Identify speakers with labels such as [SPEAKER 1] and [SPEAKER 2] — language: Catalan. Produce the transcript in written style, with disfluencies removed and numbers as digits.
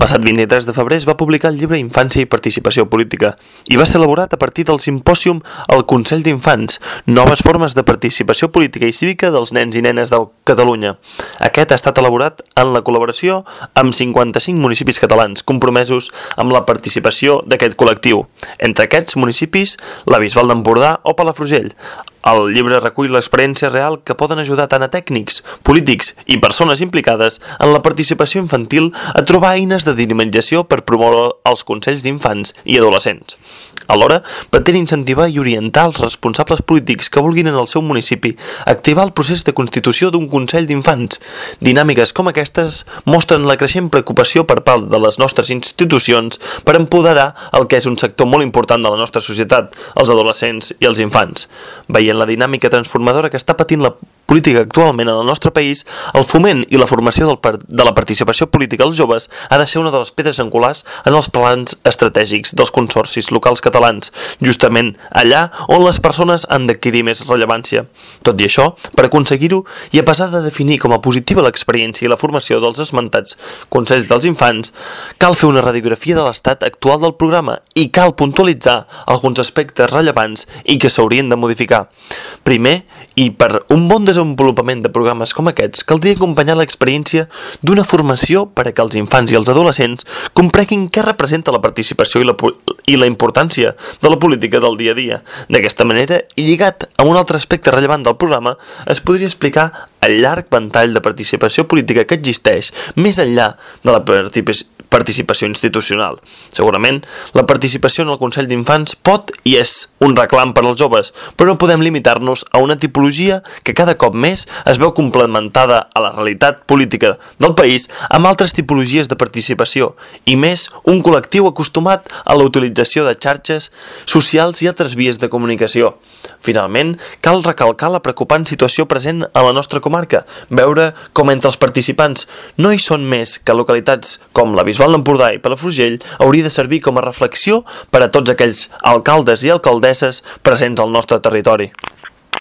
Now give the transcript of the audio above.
[SPEAKER 1] passat 23 de febrer es va publicar el llibre Infància i participació política i va ser elaborat a partir del simpòsium al Consell d'Infants, noves formes de participació política i cívica dels nens i nenes de Catalunya. Aquest ha estat elaborat en la col·laboració amb 55 municipis catalans compromesos amb la participació d'aquest col·lectiu. Entre aquests municipis, la Bisbal d'Empordà o Palafrugell. El llibre recull l'experiència real que poden ajudar tant a tècnics, polítics i persones implicades en la participació infantil a trobar eines de dinamització per promoure els consells d'infants i adolescents. Alhora, pretén incentivar i orientar els responsables polítics que vulguin en el seu municipi activar el procés de constitució d'un consell d'infants. Dinàmiques com aquestes mostren la creixent preocupació per part de les nostres institucions per empoderar el que és un sector molt important de la nostra societat, els adolescents i els infants. Veient la dinàmica transformadora que està patint la política actualment en el nostre país, el foment i la formació de la participació política als joves ha de ser una de les pedres angulars en els plans estratègics dels consorcis locals catalans, justament allà on les persones han d'adquirir més rellevància. Tot i això, per aconseguir-ho, i a pesar de definir com a positiva l'experiència i la formació dels esmentats Consells dels Infants, cal fer una radiografia de l'estat actual del programa i cal puntualitzar alguns aspectes rellevants i que s'haurien de modificar. Primer, i per un bon desenvolupament de programes com aquests, caldria acompanyar l'experiència d'una formació per a que els infants i els adolescents comprenguin què representa la participació i la importància de la política del dia a dia. D'aquesta manera, i lligat a un altre aspecte rellevant del programa, es podria explicar el llarg ventall de participació política que existeix més enllà de la participació institucional. Segurament, la participació en el Consell d'Infants pot i és un reclam per als joves, però no podem limitar-nos a una tipologia que cada cop més es veu complementada a la realitat política del país amb altres tipologies de participació i més un col·lectiu acostumat a la utilització de xarxes socials i altres vies de comunicació. Finalment, cal recalcar la preocupant situació present a la nostra comarca, veure com entre els participants no hi són més que localitats com la Bisbal d'Empordà i Palafrugell hauria de servir com a reflexió per a tots aquells alcaldes i alcaldesses presents al nostre territori.